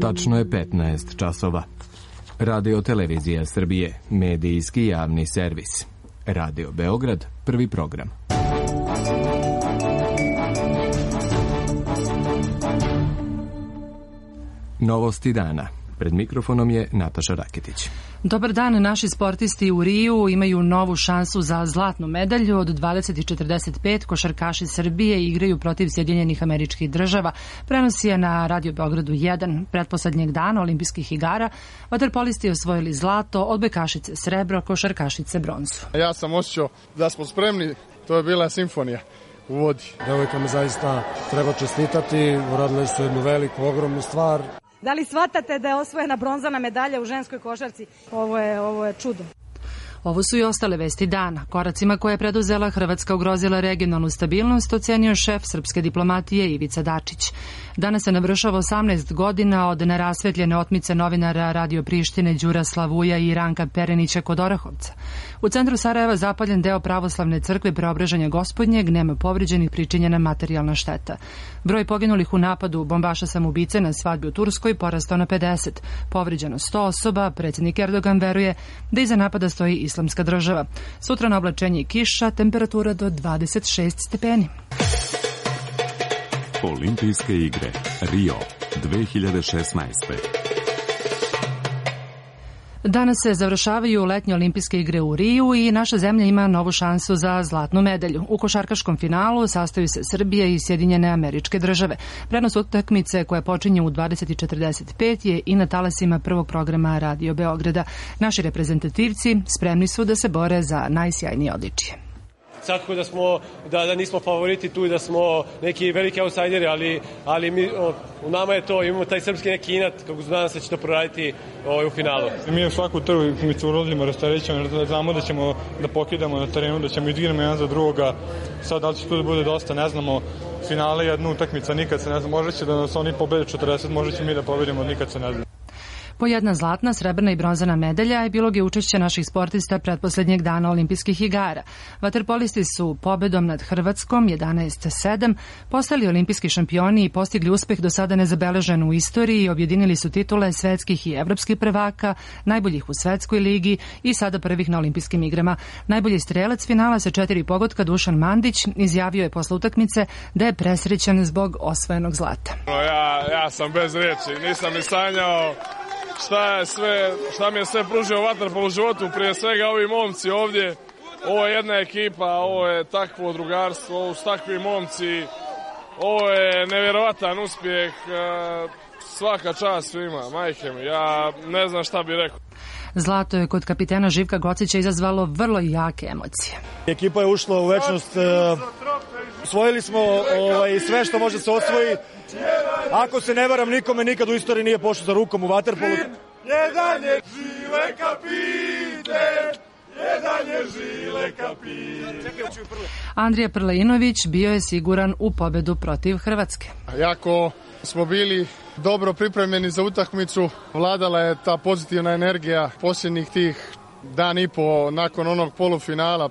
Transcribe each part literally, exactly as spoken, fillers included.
Tačno je petnaest časova. Radio Televizija Srbije, medijski javni servis. Radio Beograd, prvi program. Novosti dana. Pred mikrofonom je Nataša Raketić. Dobar dan, naši sportisti u Riju imaju novu šansu za zlatnu medalju. Od dvadeset i četrdeset pet košarkaši Srbije igraju protiv Sjedinjenih Američkih Država. Prenos je na Radio Beogradu jedan. Pretposlednjeg dana olimpijskih igara vaterpolisti osvojili zlato, odbojkašice srebro, košarkašice bronzu. Ja sam osjećao da smo spremni, to je bila simfonija u vodi. Devojkama zaista treba čestitati, uradile su jednu veliku, ogromnu stvar. Da li shvatate da je osvojena bronzana medalja u ženskoj košarci? Ovo je, ovo je čudo. Ovo su i ostale vesti dana. Koracima koje je preduzela Hrvatska ugrozila regionalnu stabilnost, ocenio šef srpske diplomatije Ivica Dačić. Danas se navršava osamnaest godina od nerasvetljene otmice novinara Radio Prištine Đura Slavuja i Ranka Perenića kod Orahovca. U centru Sarajeva zapaljen deo pravoslavne crkve Preobraženja Gospodnjeg, nema povređenih, pričinjena materijalna šteta. Broj poginulih u napadu bombaša samoubice na svadbi u Turskoj porastao na pedeset. Povređeno sto osoba, predsjednik Erdogan veruje da iza napada stoji Islamska država. Sutra na oblačenje i kiša, temperatura do dvadeset šest stepeni. Olimpijske igre Rio dve hiljade šesnaeste. Danas se završavaju letnje olimpijske igre u Riju i naša zemlja ima novu šansu za zlatnu medalju. U košarkaškom finalu sastaju se Srbija i Sjedinjene Američke Države. Prenos utakmice koja počinje u dvadeset i četrdeset pet je i na talasima prvog programa Radio Beograda. Naši reprezentativci spremni su da se bore za najsjajnije odličje. Svakako da smo da, da nismo favoriti tu i da smo neki veliki outsideri, ali, ali mi, o, u nama je to, imamo taj srpski neki inat, kako nadam se će to proraditi o, u finalu. Mi u svaku utakmicu ulazimo rasterećeno, znamo da ćemo da pokidamo na terenu, da ćemo igrati jedan za drugoga. Sad da li će tu da bude dosta, ne znamo. Finale je jedna utakmica, nikad se ne zna. Možda će da nas oni pobede četrdeset, možda će mi da pobedimo, nikad se ne zna. Po jedna zlatna, srebrna i bronzana medalja je bilo je učešće naših sportista pretposlednjeg dana olimpijskih igara. Vaterpolisti su pobedom nad Hrvatskom jedanaest sedam postali olimpijski šampioni i postigli uspeh do sada nezabeležen u istoriji i objedinili su titule svetskih i evropskih prvaka, najboljih u svetskoj ligi i sada prvih na olimpijskim igrama. Najbolji strelac finala sa četiri pogotka Dušan Mandić izjavio je posle utakmice da je presrećan zbog osvojenog zlata. Ja, ja sam bez riječi, nisam ni sanjao šta je sve, šta mi je sve pružio vaterpolo u životu, prije svega ovi momci ovdje, ovo je jedna ekipa, ovo je takvo drugarstvo, ovo su takvi momci, ovo je nevjerovatan uspjeh, svaka čast svima, majke mi, ja ne znam šta bih rekao. Zlato je kod kapitena Živka Gocića izazvalo vrlo jake emocije. Ekipa je ušla u večnost, osvojili smo ovaj, sve što može se osvoji. Ako se ne varam, nikome nikad u istoriji nije pošlo za rukom u vaterpolu. Jedan je žile kapiten, jedan je žile kapiten. Andrija Prleinović bio je siguran u pobedu protiv Hrvatske. Jako smo bili dobro pripremljeni za utakmicu, vladala je ta pozitivna energija posljednjih tih dan i po nakon onog polufinala,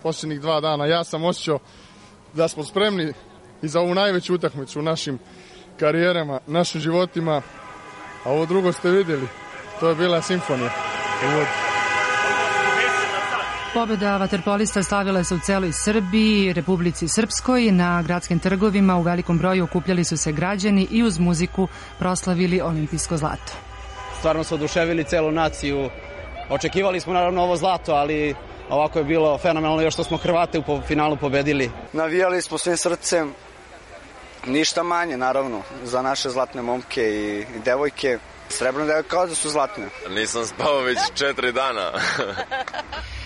posljednjih dva dana. Ja sam osjećao da smo spremni i za ovu najveću utakmicu u našim karijerama, našim životima, a ovo drugo ste vidjeli, to je bila simfonija u vodi. Pobjeda vaterpolista slavila se u celoj Srbiji, Republici Srpskoj. Na gradskim trgovima u velikom broju okupljali su se građani i uz muziku proslavili olimpijsko zlato. Stvarno su oduševili celu naciju. Očekivali smo naravno ovo zlato, ali ovako je bilo fenomenalno još što smo Hrvate u finalu pobedili. Navijali smo svim srcem, ništa manje naravno za naše zlatne momke i, i devojke. Srebrne devojke kao da su zlatne. Nisam spao već četiri dana.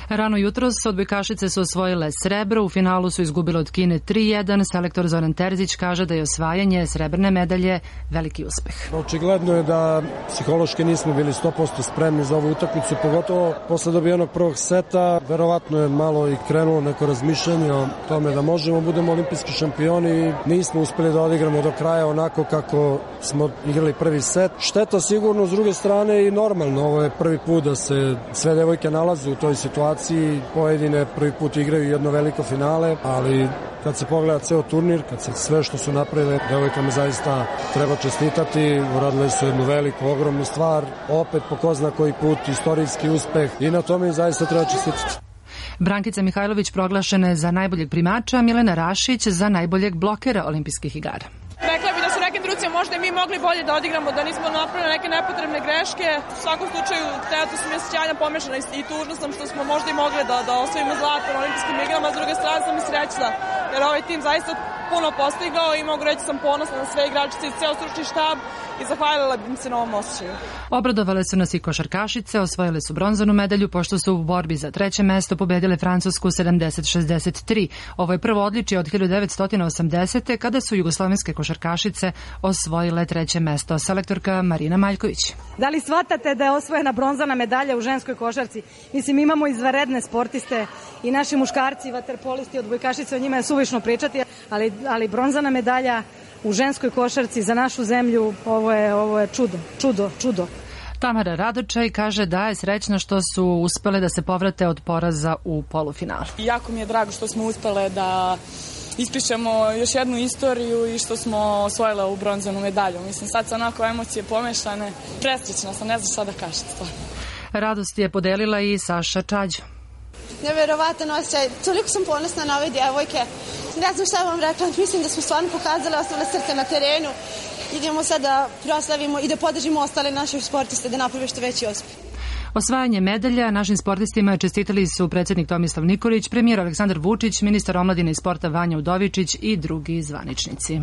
Rano jutros odbojkašice su osvojile srebro, u finalu su izgubile od Kine tri jedan. Selektor Zoran Terzić kaže da je osvajanje srebrne medalje veliki uspeh. Očigledno je da psihološki nismo bili sto posto spremni za ovu utakmicu, pogotovo posle dobijenog prvog seta. Verovatno je malo i krenulo neko razmišljanje o tome da možemo budemo olimpijski šampioni i nismo uspeli da odigramo do kraja onako kako smo igrali prvi set. Šteta sigurno, s druge strane i normalno, ovo je prvi put da se sve devojke nalaze u toj situaciji. devojci, pojedine prvi put igraju jedno veliko finale, ali kad se pogleda ceo turnir, kad se sve što su napravile, devojkama zaista treba čestitati, uradile su jednu veliku, ogromnu stvar, opet po ko zna koji put, istorijski uspeh i na tome zaista treba čestitati. Brankica Mihajlović proglašena je za najboljeg primača, Milena Rašić za najboljeg blokera olimpijskih igara. Rekla bi da su neke truce možda i mi mogli bolje da odigramo, da nismo napravili neke nepotrebne greške. U svakom slučaju, trenutno sam je sjajan pomešana i tužna sam što smo možda i mogli da, da osvojimo zlato na olimpijskim igrama, a s druge strane sam i srećna, jer ovaj tim zaista puno postigao i mogu reći sam ponosna na sve igračice i ceo stručni štab i zahvalila bih se na ovom osjećaju. Obradovale su nas i košarkašice, osvojile su bronzanu medalju pošto su u borbi za treće mesto pobedile Francusku sedamdeset šezdeset tri. Ovo je prvo odličje od hiljadu devetsto osamdesete. kada su jugoslovenske košarkašice osvojile treće mesto. Selektorka Marina Maljković. Da li shvatate da je osvojena bronzana medalja u ženskoj košarci? Mislim, imamo izvanredne sportiste i naši muškarci, vaterpolisti, odbojkašice, o njima je suvišno pričati, ali, ali bronzana medalja u ženskoj košarci za našu zemlju, ovo je, ovo je čudo, čudo, čudo. Tamara Radočaj kaže da je srećna što su uspele da se povrate od poraza u polufinalu. Jako mi je drago što smo uspele da ispišemo još jednu istoriju i što smo osvojile ovu bronzanu medalju. Mislim, sad su onako emocije pomešane. Presrećna sam, ne znam šta da kažem stvarno. Radost je podelila i Saša Čađo. Neverovatan osjećaj, toliko sam ponosna na ove djevojke. Ne znam šta vam rekla, mislim da smo stvarno pokazali ostale srce na terenu. Idemo sad da proslavimo i da podržimo ostale naše sportiste da naprave što veći uspjeh. Osvajanje medalja našim sportistima čestitali su predsjednik Tomislav Nikolić, premijer Aleksandar Vučić, ministar omladine i sporta Vanja Udovičić i drugi zvaničnici.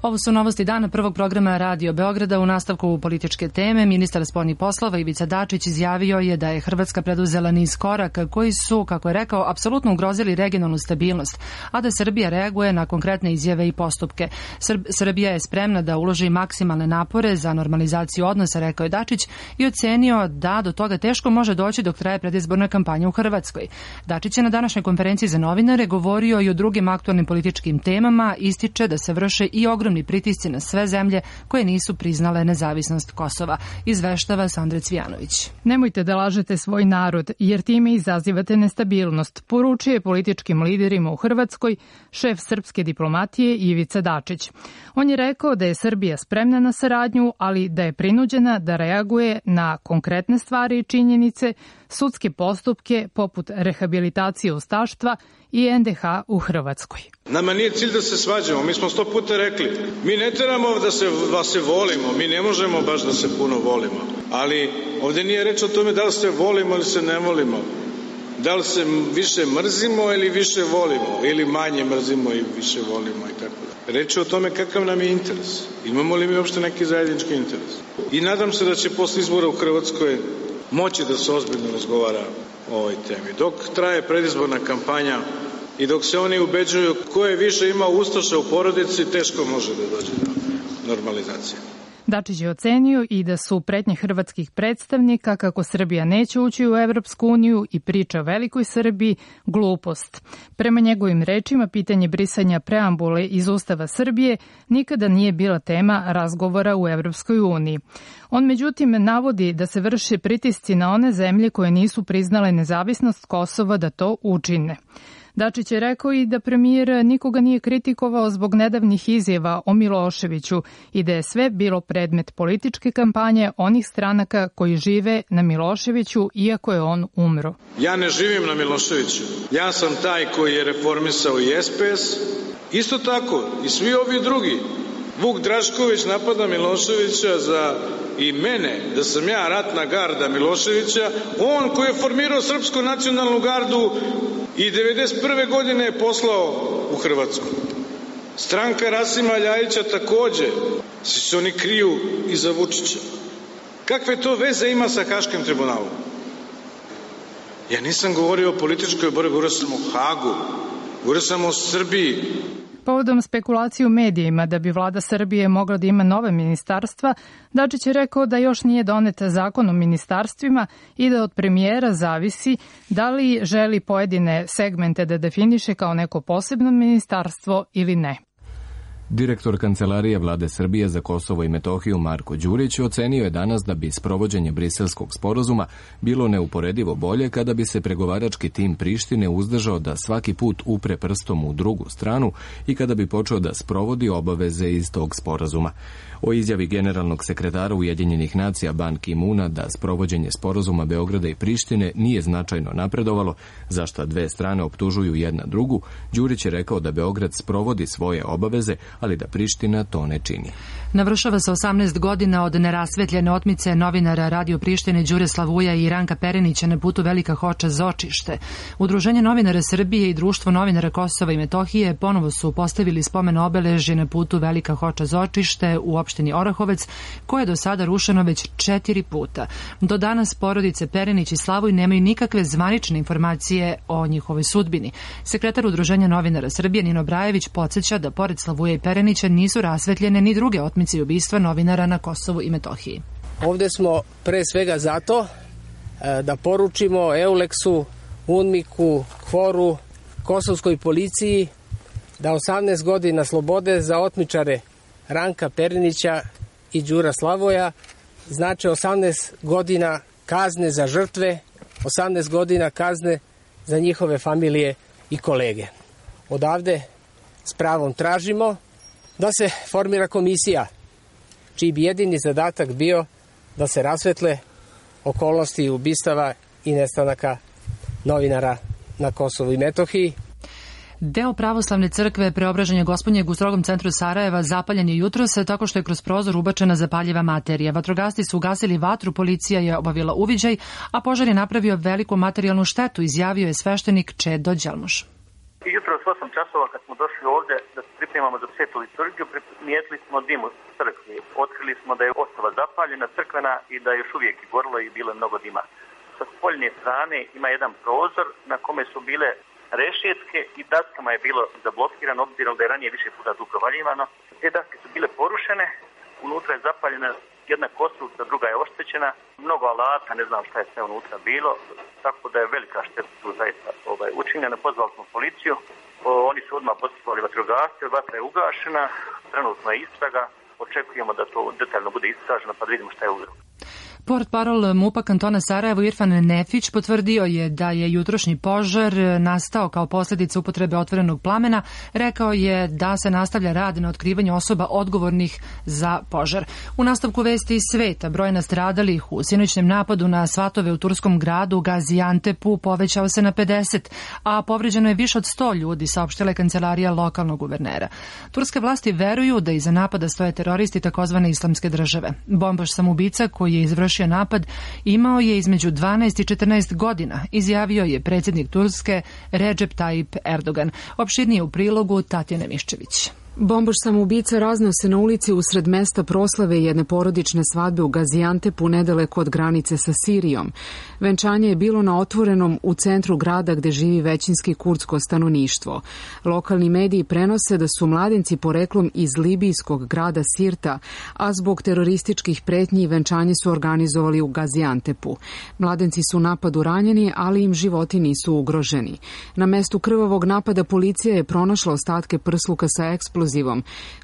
Ovo su novosti dana prvog programa Radio Beograda. U nastavku političke teme ministar spoljnih poslova Ivica Dačić izjavio je da je Hrvatska preduzela niz koraka koji su, kako je rekao, apsolutno ugrozili regionalnu stabilnost, a da Srbija reaguje na konkretne izjave i postupke. Srb, Srbija je spremna da uloži maksimalne napore za normalizaciju odnosa, rekao je Dačić i ocenio da do toga teško može doći dok traje predizborna kampanja u Hrvatskoj. Dačić je na današnjoj konferenciji za novinare govorio i o drugim aktualnim političkim temama, ističe da se vrše i ogromni pritisci na sve zemlje koje nisu priznale nezavisnost Kosova, izveštava Sandra Cvijanović. Nemojte da lažete svoj narod, jer time izazivate nestabilnost, poručuje političkim liderima u Hrvatskoj šef srpske diplomatije Ivica Dačić. On je rekao da je Srbija spremna na saradnju, ali da je prinuđena da reaguje na konkretne stvari i činjenice, sudske postupke poput rehabilitacije ustaštva i en de ha u Hrvatskoj. Nama nije cilj da se svađamo, mi smo sto puta rekli. Mi ne trebamo da se, da se volimo, mi ne možemo baš da se puno volimo. Ali ovdje nije reč o tome da li se volimo ili se ne volimo. Da li se više mrzimo ili više volimo, ili manje mrzimo i više volimo i tako da. Reč je o tome kakav nam je interes. Imamo li mi uopšte neki zajednički interes. I nadam se da će posle izbora u Hrvatskoj moći da se ozbiljno razgovara o ovoj temi. Dok traje predizborna kampanja i dok se oni ubeđuju ko je više imao ustaša u porodici, teško može da dođe do normalizacije. Dačić je ocenio i da su pretnje hrvatskih predstavnika kako Srbija neće ući u Evropsku uniju i priča o velikoj Srbiji glupost. Prema njegovim rečima, pitanje brisanja preambule iz Ustava Srbije nikada nije bila tema razgovora u Evropskoj uniji. On međutim navodi da se vrše pritisci na one zemlje koje nisu priznale nezavisnost Kosova da to učine. Dačić je rekao i da premijer nikoga nije kritikovao zbog nedavnih izjava o Miloševiću i da je sve bilo predmet političke kampanje onih stranaka koji žive na Miloševiću iako je on umro. Ja ne živim na Miloševiću. Ja sam taj koji je reformisao i es pe es. Isto tako i svi ovi drugi. Vuk Drašković napada Miloševića za i mene, da sam ja ratna garda Miloševića, on koji je formirao Srpsku nacionalnu gardu i devedeset prve godine je poslao u Hrvatsku. Stranka Rasima Ljajića takođe, svi se oni kriju iza Vučića. Kakve to veze ima sa Haškim tribunalom? Ja nisam govorio o političkoj borbi, govorio sam o Hagu, govorio sam o Srbiji. Povodom spekulacije u medijima da bi vlada Srbije mogla da ima nove ministarstva, Dačić je rekao da još nije donet zakon o ministarstvima i da od premijera zavisi da li želi pojedine segmente da definiše kao neko posebno ministarstvo ili ne. Direktor Kancelarije Vlade Srbije za Kosovo i Metohiju Marko Đurić ocenio je danas da bi sprovođenje Briselskog sporazuma bilo neuporedivo bolje kada bi se pregovarački tim Prištine uzdržao da svaki put upre prstom u drugu stranu i kada bi počeo da sprovodi obaveze iz tog sporazuma. O izjavi generalnog sekretara Ujedinjenih nacija Ban Ki-muna da sprovođenje sporazuma Beograda i Prištine nije značajno napredovalo, za šta dve strane optužuju jedna drugu, Đurić je rekao da Beograd sprovodi svoje obaveze, ali da Priština to ne čini. Navršava se osamnaest godina od nerasvetljene otmice novinara Radio Prištine Đure Slavuja i Ranka Perenića na putu Velika Hoča Zočište. Udruženje novinara Srbije i Društvo novinara Kosova i Metohije ponovo su postavili spomen obeležje na putu Velika Hoča Zočište u opštini Orahovec, koje je do sada rušeno već četiri puta. Do danas porodice Perenić i Slavuj nemaju nikakve zvanične informacije o njihovoj sudbini. Sekretar Udruženja novinara Srbije Nino Brajević podsjeća da pored Slavuja i Perenića nisu rasvetljene ni druge otmice i ubistva novinara na Kosovu i Metohiji. Ovde smo pre svega zato da poručimo Euleksu, UNMIK-u, KFOR-u, kosovskoj policiji da osamnaest godina slobode za otmičare Ranka Perenića i Đura Slavoja znači osamnaest godina kazne za žrtve, osamnaest godina kazne za njihove familije i kolege. Odavde s pravom tražimo da se formira komisija čiji bi jedini zadatak bio da se rasvetle okolnosti ubistava i nestanaka novinara na Kosovu i Metohiji. Deo pravoslavne crkve Preobraženja Gospodnjeg u strogom centru Sarajeva zapaljen je jutros tako što je kroz prozor ubačena zapaljiva materija. Vatrogasci su ugasili vatru, policija je obavila uviđaj, a požar je napravio veliku materijalnu štetu, izjavio je sveštenik Čedo Đelmuš. Jutro s osam časova kad smo došli ovde da se pripremamo za svetu liturgiju, primijetili smo dim u crkvi. Otkrili smo da je ostala zapaljena crkvena i da je još uvijek gorilo i bilo mnogo dima. Sa spoljne strane ima jedan prozor na kome su bile rešetke i daskama je bilo zablokirano, obzirom da je ranije više puta tu provaljivano. Te daske su bile porušene, unutra je zapaljena jedna konstrukcija, druga je oštećena, mnogo alata, ne znam šta je sve unutra bilo, tako da je velika šteta tu zaista ovaj, učinjena. Pozvali smo policiju, o, oni su odmah poslali vatrogasce, vatra je ugašena, trenutno je istraga, očekujemo da to detaljno bude istraženo pa da vidimo šta je uzrok. Portparol MUP-a kantona Sarajevo Irfan Nefić potvrdio je da je jutrošnji požar nastao kao posljedica upotrebe otvorenog plamena. Rekao je da se nastavlja rad na otkrivanju osoba odgovornih za požar. U nastavku vesti iz sveta, broj nastradalih u sinoćnem napadu na svatove u turskom gradu Gaziantepu povećao se na pedeset, a povređeno je više od sto ljudi, saopštila je kancelarija lokalnog guvernera. Turske vlasti veruju da iza napada stoje teroristi takozvane islamske države. Bombaš samoubica koji je izvršio napad imao je između dvanaest i četrnaest godina, izjavio je predsjednik Turske Recep Tayyip Erdogan. Opširnije u prilogu Tatjane Miščević. Bombaš samoubica razneo se na ulici usred mesta proslave jedne porodične svadbe u Gaziantepu nedaleko od granice sa Sirijom. Venčanje je bilo na otvorenom u centru grada gde živi većinski kurdsko stanovništvo. Lokalni mediji prenose da su mladenci poreklom iz libijskog grada Sirta, a zbog terorističkih pretnji venčanje su organizovali u Gaziantepu. Mladenci su u napadu ranjeni, ali im životi nisu ugroženi. Na mestu krvavog napada policija je pronašla ostatke prsluka sa eksplozivom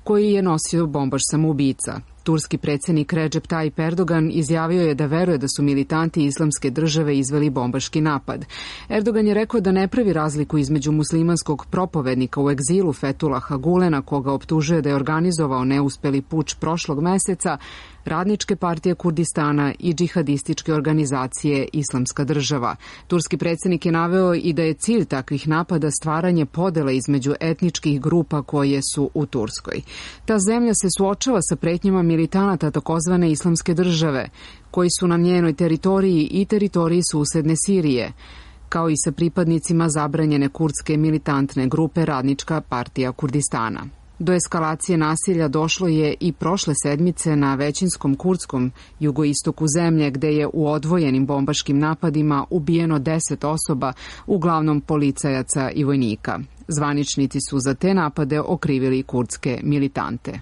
koji je nosio bombaš samoubica. Turski predsjednik Recep Tayyip Erdogan izjavio je da veruje da su militanti islamske države izveli bombaški napad. Erdogan je rekao da ne pravi razliku između muslimanskog propovednika u egzilu Fethullaha Gulena, koga optužuje da je organizovao neuspeli puč prošlog meseca, Radničke partije Kurdistana i džihadističke organizacije Islamska država. Turski predsjednik je naveo i da je cilj takvih napada stvaranje podele između etničkih grupa koje su u Turskoj. Ta zemlja se suočava sa pretnjama militanata takozvane Islamske države, koji su na njenoj teritoriji i teritoriji susedne Sirije, kao i sa pripadnicima zabranjene kurdske militantne grupe Radnička partija Kurdistana. Do eskalacije nasilja došlo je i prošle sedmice na većinskom kurdskom jugoistoku zemlje, gde je u odvojenim bombaškim napadima ubijeno deset osoba, uglavnom policajaca i vojnika. Zvaničnici su za te napade okrivili kurdske militante.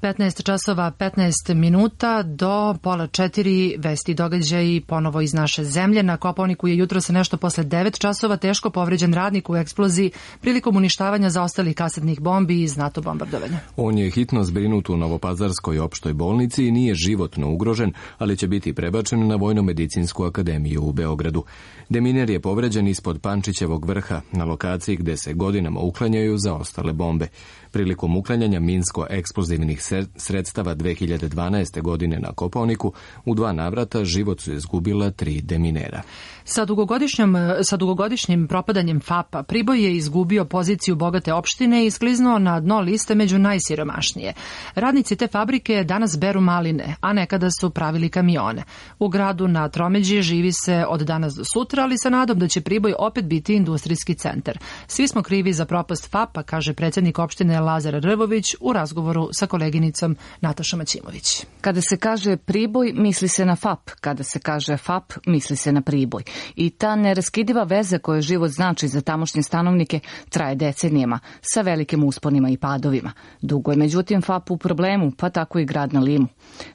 petnaest časova petnaest minuta do pola četiri, vesti i događaji ponovo iz naše zemlje. Na Kopaoniku je jutro se nešto posle devet časova teško povređen radnik u eksploziji prilikom uništavanja zaostalih kasetnih bombi iz NATO bombardovanja. On je hitno zbrinut u Novopazarskoj opštoj bolnici i nije životno ugrožen, ali će biti prebačen na Vojno-medicinsku akademiju u Beogradu. Deminer je povređen ispod Pančićevog vrha, na lokaciji gde se godinama uklanjaju zaostale bombe. Prilikom uklanjanja minsko-eksplozivnih sredstava dve hiljade dvanaeste. godine na Kopaoniku u dva navrata život su izgubila tri deminera. Sa dugogodišnjim, sa dugogodišnjim propadanjem F A P-a Priboj je izgubio poziciju bogate opštine i skliznuo na dno liste među najsiromašnije. Radnici te fabrike danas beru maline, a nekada su pravili kamione. U gradu na Tromeđi živi se od danas do sutra, ali sa nadom da će Priboj opet biti industrijski centar. Svi smo krivi za propast F A P-a, kaže predsjednik opštine Lazar Rvović u razgovoru sa koleginicom Natašom Maćimović. Kada se kaže Priboj, misli se na F A P. Kada se kaže F A P, misli se na Priboj. I ta neraskidiva veza koju život znači za tamošnje stanovnike traje decenijama, sa velikim usponima i padovima. Dugo je međutim F A P u problemu, pa tako i grad na Limu.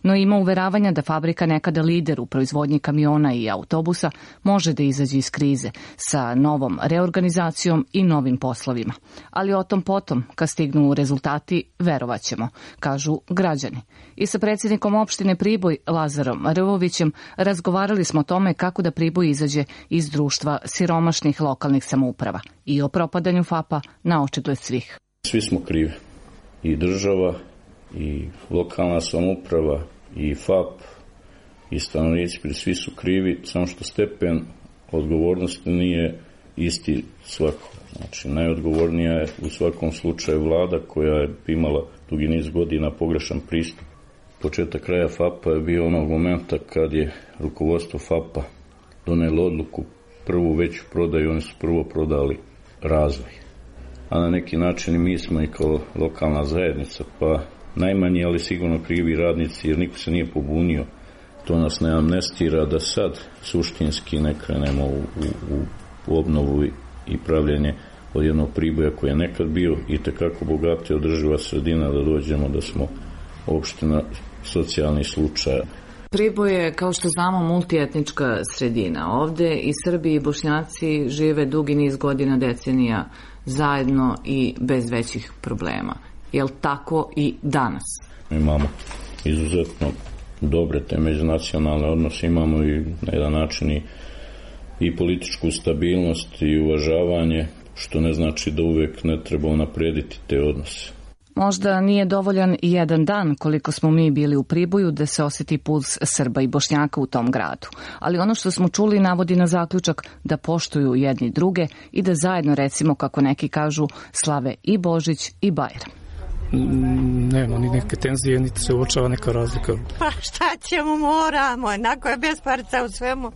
No ima uveravanja da fabrika, nekada lider u proizvodnji kamiona i autobusa, može da izađe iz krize sa novom reorganizacijom i novim poslovima. Ali o tom potom, kad stignu rezultati, verovaćemo, kažu građani. I sa predsjednikom opštine Priboj, Lazarom Rvovićem, razgovarali smo o tome kako da Priboj izađe iz društva siromašnih lokalnih samouprava i o propadanju F A P-a na očigled svih. Svi smo krivi. I država, i lokalna samouprava, i F A P, i stanovnici, svi su krivi, samo što stepen odgovornosti nije isti svako. Znači, najodgovornija je u svakom slučaju vlada koja je imala dugi niz godina pogrešan pristup. Početak kraja F A P-a je bio onog momenta kad je rukovodstvo F A P-a donelo odluku prvu veću prodaju, oni su prvo prodali razvoj. A na neki način i mi smo i kao lokalna zajednica, pa najmanji, ali sigurno krivi radnici, jer niko se nije pobunio. To nas ne amnestira da sad suštinski ne krenemo u, u, u obnovu i pravljenje od jednog Priboja koji je nekad bio i tekako bogati održiva sredina, da dođemo da smo opština socijalni slučaj. Priboj je, kao što znamo, multietnička sredina. Ovde i Srbi i Bošnjaci žive dugi niz godina, decenija zajedno i bez većih problema. Je li tako i danas? Imamo izuzetno dobre te međunacionalne odnose, imamo i na jedan način i, i političku stabilnost i uvažavanje, što ne znači da uvek ne treba unaprediti te odnose. Možda nije dovoljan i jedan dan koliko smo mi bili u Priboju da se osjeti puls Srba i Bošnjaka u tom gradu. Ali ono što smo čuli navodi na zaključak da poštuju jedni druge i da zajedno, recimo, kako neki kažu, slave i Božić i Bajram. Nema ni neke tenzije, niti se uočava neka razlika. Pa šta ćemo, moramo, jednako je besparica u svemu.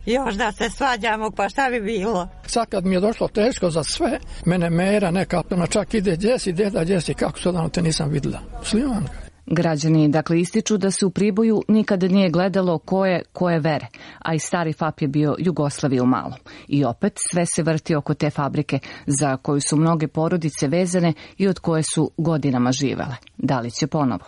Još da se svađamo, pa šta bi bilo? Sad kad mi je došlo teško za sve, mene mera nekako, čak ide djesi, deda, djesi, kako se odavno te nisam videla. Slimanka. Građani dakle ističu da se u Priboju nikada nije gledalo ko je koje vere, a i stari F A P je bio Jugoslavija u malom. I opet sve se vrti oko te fabrike za koju su mnoge porodice vezane i od koje su godinama živele. Da li će ponovo?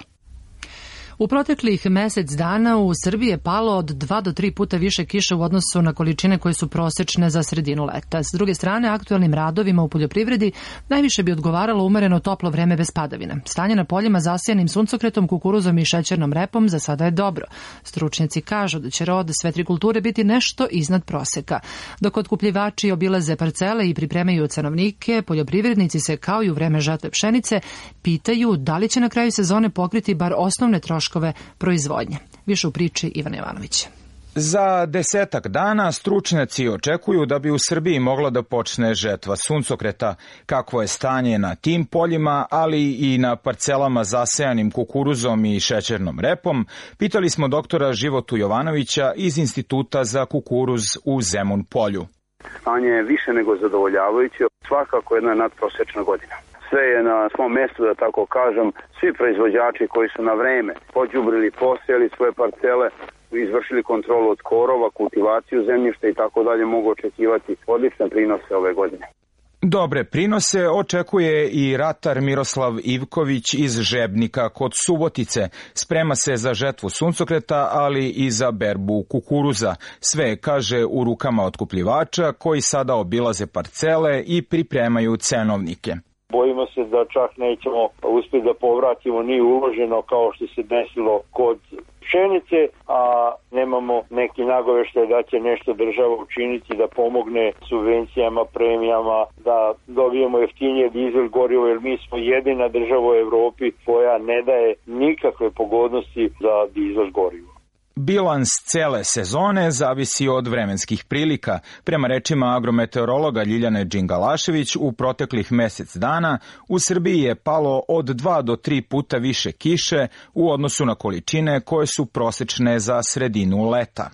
U proteklih mesec dana u Srbiji je palo od dva do tri puta više kiše u odnosu na količine koje su prosečne za sredinu leta. S druge strane, aktuelnim radovima u poljoprivredi najviše bi odgovaralo umereno toplo vreme bez padavina. Stanje na poljima zasijanim suncokretom, kukuruzom i šećernom repom za sada je dobro. Stručnjaci kažu da će rod sve tri kulture biti nešto iznad proseka. Dok otkupljivači obilaze parcele i pripremaju cenovnike, poljoprivrednici se, kao i u vreme žetve pšenice, pitaju da li će na kraju sezone pokriti bar osnovne troškove proizvodnje. Više u priči Ivana Jovanović. Za desetak dana stručnjaci očekuju da bi u Srbiji mogla da počne žetva suncokreta. Kakvo je stanje na tim poljima, ali i na parcelama zasejanim kukuruzom i šećernom repom, pitali smo doktora Životu Jovanovića iz Instituta za kukuruz u Zemun Polju. Stanje je više nego zadovoljavajuće, svakako jedna nadprosečna godina. Sve je na svom mjestu, da tako kažem. Svi proizvođači koji su na vreme pođubrili, posejali svoje parcele, izvršili kontrolu od korova, kultivaciju zemljišta i tako dalje, mogu očekivati odlične prinose ove godine. Dobre prinose očekuje i ratar Miroslav Ivković iz Žebnika kod Subotice. Sprema se za žetvu suncokreta, ali i za berbu kukuruza. Sve, kaže, u rukama otkupljivača koji sada obilaze parcele i pripremaju cenovnike. Bojimo se da čak nećemo uspjeti da povratimo ni uloženo kao što se desilo kod pšenice, a nemamo neki nagoveštaj da će nešto država učiniti da pomogne subvencijama, premijama, da dobijemo jeftinije dizel gorivo, jer mi smo jedina država u Evropi koja ne daje nikakve pogodnosti za dizel gorivo. Bilans cele sezone zavisi od vremenskih prilika. Prema rečima agrometeorologa Ljiljane Đingalašević, u proteklih mesec dana u Srbiji je palo od dva do tri puta više kiše u odnosu na količine koje su prosečne za sredinu leta.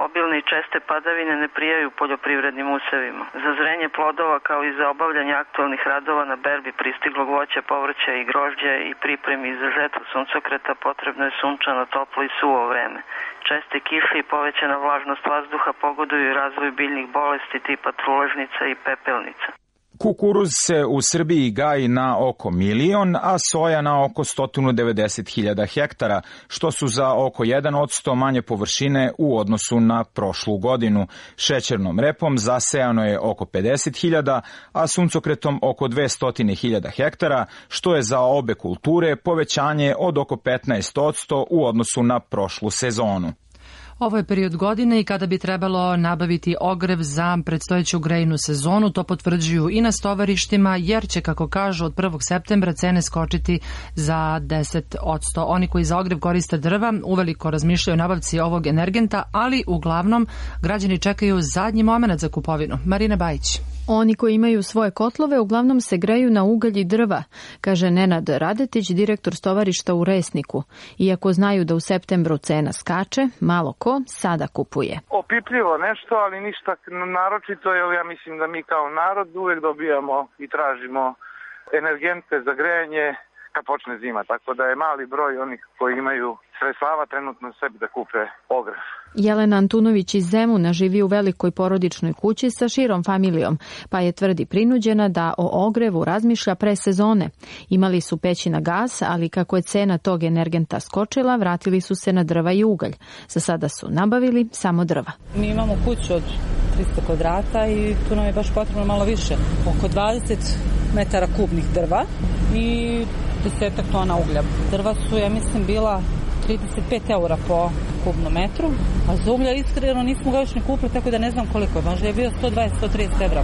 Obilne i česte padavine ne prijaju poljoprivrednim usevima. Za zrenje plodova kao i za obavljanje aktualnih radova na berbi pristiglog voća, povrća i grožđa i pripremi za žetvu suncokreta potrebno je sunčano, toplo i suvo vreme. Česte kiše i povećana vlažnost vazduha pogoduju razvoju biljnih bolesti tipa truležnica i pepelnica. Kukuruz se u Srbiji gaji na oko milion, a soja na oko sto devedeset hiljada hektara, što su za oko jedan posto manje površine u odnosu na prošlu godinu. Šećernom repom zasejano je oko pedeset hiljada, a suncokretom oko dvesta hiljada hektara, što je za obe kulture povećanje od oko petnaest posto u odnosu na prošlu sezonu. Ovo je period godine i kada bi trebalo nabaviti ogrev za predstojeću grejnu sezonu, to potvrđuju i na stovarištima, jer će, kako kažu, od prvog septembra cene skočiti za deset posto. Oni koji za ogrev koriste drva uveliko razmišljaju o nabavci ovog energenta, ali uglavnom građani čekaju zadnji moment za kupovinu. Marina Bajić. Oni koji imaju svoje kotlove uglavnom se greju na ugalj i drva, kaže Nenad Radetić, direktor stovarišta u Resniku. Iako znaju da u septembru cena skače, malo ko sada kupuje. Opipljivo nešto, ali ništa naročito, jer ja mislim da mi kao narod uvek dobijamo i tražimo energente za grejanje kad počne zima, tako da je mali broj onih koji imaju sredstava trenutno sebi da kupe ogrev. Jelena Antunović iz Zemuna živi u velikoj porodičnoj kući sa širom familijom, pa je, tvrdi, prinuđena da o ogrevu razmišlja pre sezone. Imali su peći na gas, ali kako je cena tog energenta skočila, vratili su se na drva i ugalj. Za sada su nabavili samo drva. Mi imamo kuću od tristo kvadrata i tu nam je baš potrebno malo više. Oko dvadeset metara kubnih drva i desetak tona uglja. Drva su, ja mislim, bila trideset pet eura po kubnom metru, a za uglja iskreno nismo ga još ni kupili, tako da ne znam koliko je. Možda je bio sto dvadeset do sto trideset evra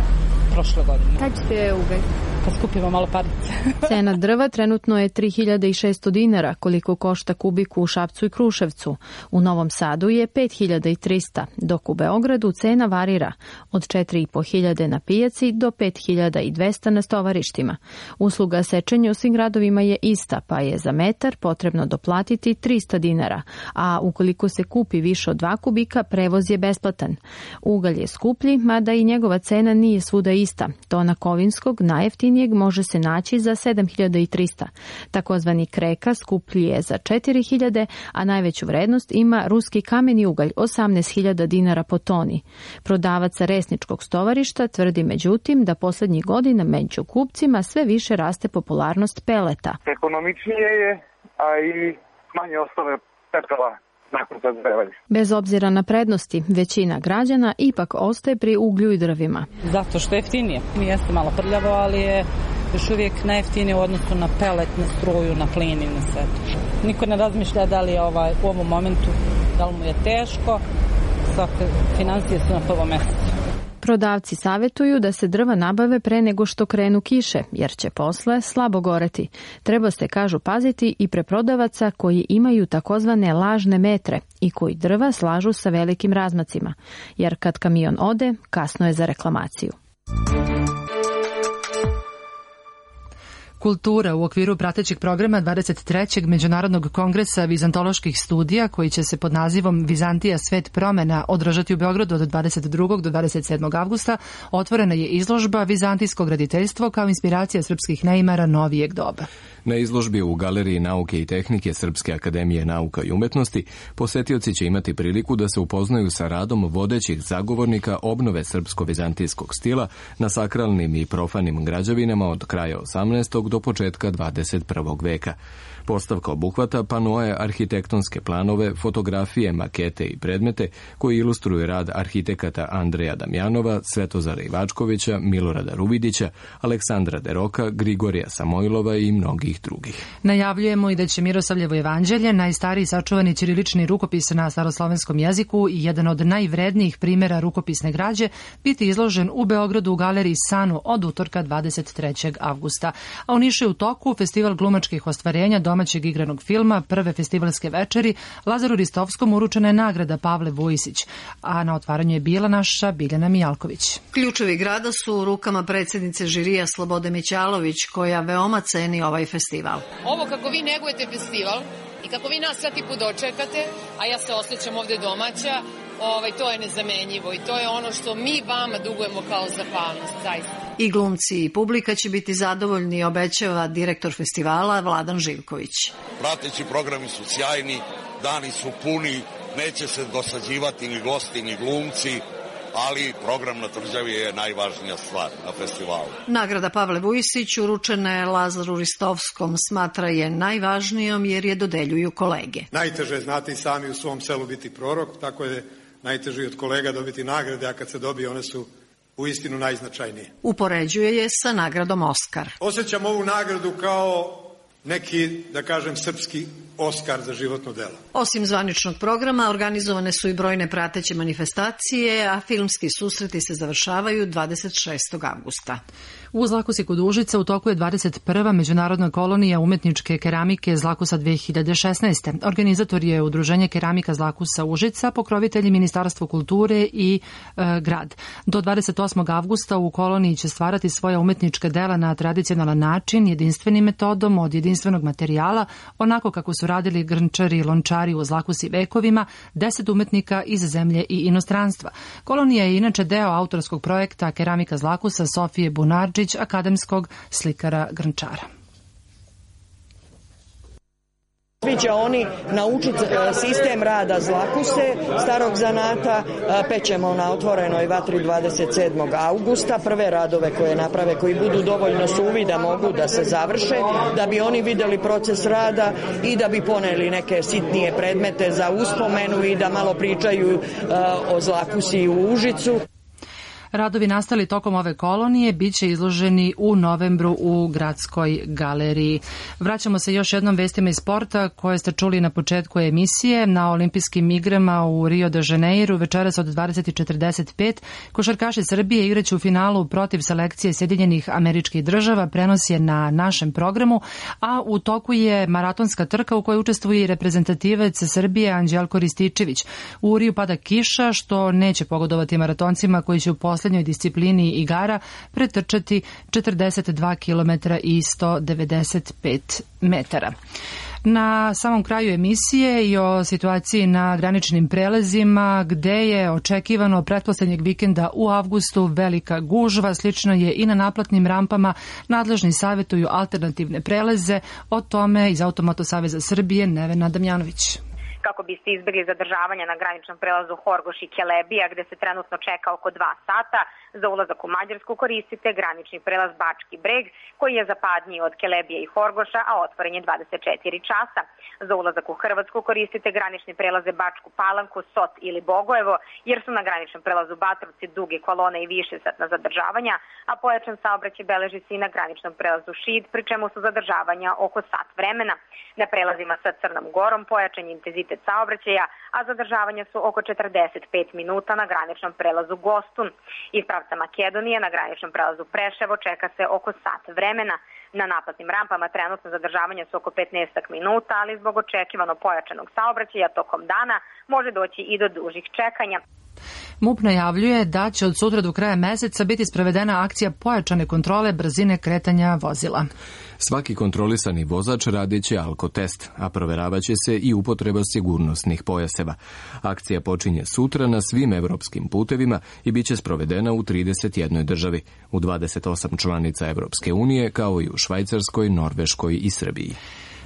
prošle godine. Kad ćete ugalj? Kad skupimo malo parice. Cena drva trenutno je tri hiljade šesto dinara, koliko košta kubik u Šapcu i Kruševcu. U Novom Sadu je pet hiljada trista, dok u Beogradu cena varira od četiri i po hiljade na pijaci do pet hiljada dvesta na stovarištima. Usluga sečenja u svim gradovima je ista, pa je za metar potrebno doplatiti trista dinara, a ukoliko se kupi više od dva kubika, prevoz je besplatan. Ugalj je skuplji, mada i njegova cena nije svuda ista. Tona kovinskog najjeftinijeg može se naći za sedam hiljada trista. Takozvani kreka skuplji je za četiri hiljade, a najveću vrednost ima ruski kameni ugalj, osamnaest hiljada dinara po toni. Prodavac Resničkog stovarišta tvrdi međutim da poslednjih godina među kupcima sve više raste popularnost peleta. Ekonomičnije je, a i manje ostane pepela nakon zagrijavanja. Bez obzira na prednosti, većina građana ipak ostaje pri uglju i drvima. Zato što je jeftinije. Mi jeste malo prljavo, ali je još uvijek najjeftinije u odnosu na pelet, na struju, na plin i na sve. Niko ne razmišlja da li je ovaj, u ovom momentu, da li mu je teško, svake financije su na prvom mjestu. Prodavci savjetuju da se drva nabave pre nego što krenu kiše, jer će posle slabo goreti. Treba se, kažu, paziti i preprodavaca koji imaju takozvane lažne metre i koji drva slažu sa velikim razmacima, jer kad kamion ode, kasno je za reklamaciju. Kultura u okviru pratećeg programa dvadeset trećeg Međunarodnog kongresa vizantoloških studija, koji će se pod nazivom Vizantija svet promena održati u Beogradu od dvadeset drugog do dvadeset sedmog avgusta, otvorena je izložba Vizantijsko graditeljstvo kao inspiracija srpskih neimara novijeg doba. Na izložbi u Galeriji nauke i tehnike Srpske akademije nauka i umetnosti posetioci će imati priliku da se upoznaju sa radom vodećih zagovornika obnove srpsko-vizantijskog stila na sakralnim i profanim građevinama od kraja osamnaestog do početka dvadeset prvog veka. Postavka obuhvata panoe, arhitektonske planove, fotografije, makete i predmete koji ilustruju rad arhitekata Andreja Damjanova, Svetozara Ivačkovića, Milorada Ruvidića, Aleksandra Deroka, Grigorija Samojlova i mnogih drugih. Najavljujemo i da će Miroslavljevo evanđelje, najstariji sačuvani ćirilični rukopis na staroslovenskom jeziku i jedan od najvrednijih primjera rukopisne građe, biti izložen u Beogradu u galeriji Sanu od utorka dvadeset trećeg avgusta. A u Nišu je u toku festival glumačkih ostvarenja domaćeg igranog filma, prve festivalske večeri. Lazaru Ristovskom uručena je nagrada Pavle Vujisić, a na otvaranju je bila naša Biljana Mijalković. Ključevi grada su u rukama predsjednice žirija Slobode Mićalović, koja veoma ceni ovaj festival. Ovo kako vi negujete festival i kako vi nas svaki put dočekate, a ja se osjećam ovde domaća, ovaj, to je nezamenjivo i to je ono što mi vama dugujemo kao zahvalnost, zaista. I glumci i publika će biti zadovoljni, obećava direktor festivala Vladan Živković. Prateći programi su sjajni, dani su puni, neće se dosađivati ni gosti ni glumci, ali program na tvrđavi je najvažnija stvar na festivalu. Nagrada Pavle Vujisić uručena je Lazaru Ristovskom, smatra je najvažnijom jer je dodeljuju kolege. Najteže je, znate i sami, u svom selu biti prorok, tako je najteže i od kolega dobiti nagrade, a kad se dobije one su u istinu najznačajnije. Upoređuje je sa nagradom Oskar. Osjećam ovu nagradu kao neki, da kažem, srpski Oskar za životno delo. Osim zvaničnog programa, organizovane su i brojne prateće manifestacije, a filmski susreti se završavaju dvadeset šestog avgusta. U Zlakusi kod Užica u toku je dvadeset prva međunarodna kolonija umetničke keramike Zlakusa dve hiljade šesnaeste. Organizator je Udruženje keramika Zlakusa Užica, pokrovitelji Ministarstvo kulture i e, grad. Do dvadeset osmog avgusta u koloniji će stvarati svoja umetnička dela na tradicionalan način, jedinstvenim metodom, od jedinstvenog materijala, onako kako su radili grnčari i lončari u Zlakusi vekovima, deset umetnika iz zemlje i inostranstva. Kolonija je inače deo autorskog projekta Keramika Zlakusa Sofije Bunarđić, akademskog slikara grnčara. Svi će oni naučiti sistem rada Zlakuse, starog zanata. Pećemo na otvorenoj vatri dvadeset sedmog avgusta. Prve radove koje naprave, koji budu dovoljno suvi da mogu da se završe, da bi oni videli proces rada i da bi poneli neke sitnije predmete za uspomenu i da malo pričaju o Zlakusi u Užicu. Radovi nastali tokom ove kolonije biće izloženi u novembru u Gradskoj galeriji. Vraćamo se još jednom vestima iz sporta koje ste čuli na početku emisije. Na olimpijskim igrama u Rio de Janeiru večeras od dvadeset četrdeset pet košarkaši Srbije igraće u finalu protiv selekcije Sjedinjenih Američkih Država. Prenos je na našem programu, a u toku je maratonska trka u kojoj učestvuje i reprezentativac Srbije Anđelko Rističević. U Riju pada kiša, što neće pogodovati maratoncima koji će u poslednjoj disciplini igara pretrčati četrdeset dva kilometra i sto devedeset pet metara. Na samom kraju emisije i o situaciji na graničnim prelazima, gde je očekivano pretposlednjeg vikenda u avgustu velika gužva, slično je i na naplatnim rampama. Nadležni savjetuju alternativne prelaze, o tome iz Automoto Saveza Srbije Nevena Damjanović. Kako biste izbjegli zadržavanje na graničnom prelazu Horgoš i Kelebija, gde se trenutno čeka oko dva sata. Za ulazak u Mađarsku koristite granični prelaz Bački Breg, koji je zapadniji od Kelebije i Horgoša, a otvoren je dvadeset četiri časa. Za ulazak u Hrvatsku koristite granični prelaze Bačku Palanku, Sot ili Bogojevo, jer su na graničnom prelazu Batrovci duge kolone i više satna zadržavanja, a pojačan saobraćaj beleži se i na graničnom prelazu Šid, pri čemu su zadržavanja oko sat vremena. Na prelazima sa Crnom Gorom pojačan intenzitet saobraćaja, a zadržavanja su oko četrdeset pet minuta na graničnom prelazu Gostun. Iz pravca Makedonije na graničnom prelazu Preševo čeka se oko sat vremena. Na naplatnim rampama trenutno zadržavanja su oko petnaest minuta, ali zbog očekivano pojačanog saobraćaja tokom dana može doći i do dužih čekanja. MUP najavljuje da će od sutra do kraja meseca biti sprovedena akcija pojačane kontrole brzine kretanja vozila. Svaki kontrolisani vozač radit će alkotest, a proveravaće se i upotreba sigurnosnih pojaseva. Akcija počinje sutra na svim evropskim putevima i bit će sprovedena u trideset jednoj državi, u dvadeset osam članica Evropske unije, kao i u Švajcarskoj, Norveškoj i Srbiji.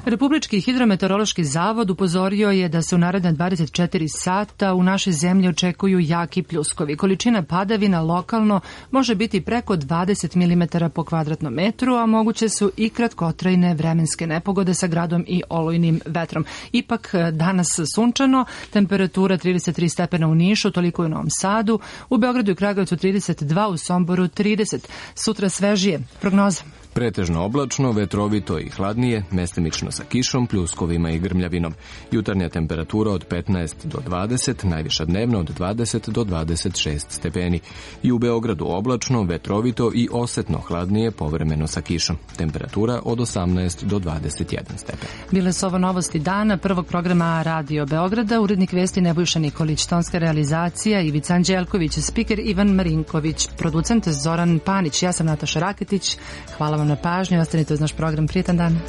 Republički hidrometeorološki zavod upozorio je da se u naredne dvadeset četiri sata u našoj zemlji očekuju jaki pljuskovi. Količina padavina lokalno može biti preko dvadeset milimetara po kvadratnom metru, a moguće su i kratkotrajne vremenske nepogode sa gradom i olujnim vetrom. Ipak danas sunčano, temperatura trideset tri stepena u Nišu, toliko i u Novom Sadu, u Beogradu i Kragujevcu trideset dva, u Somboru trideset. Sutra svežije. Prognoza. Pretežno oblačno, vetrovito i hladnije, mestimično sa kišom, pljuskovima i grmljavinom. Jutarnja temperatura od petnaest do dvadeset, najviša dnevna od dvadeset do dvadeset šest stepeni. I u Beogradu oblačno, vetrovito i osetno hladnije, povremeno sa kišom. Temperatura od osamnaest do dvadeset jedan stepen. Bile su ovo novosti dana prvog programa Radio Beograda, urednik vesti Nebojša Nikolić, tonska realizacija Ivica Anđelković, spiker Ivan Marinković, producent Zoran Panić, ja sam Nataša Raketić. Hvala vam na pažnju, ostanite uz naš program. Prijetan dan.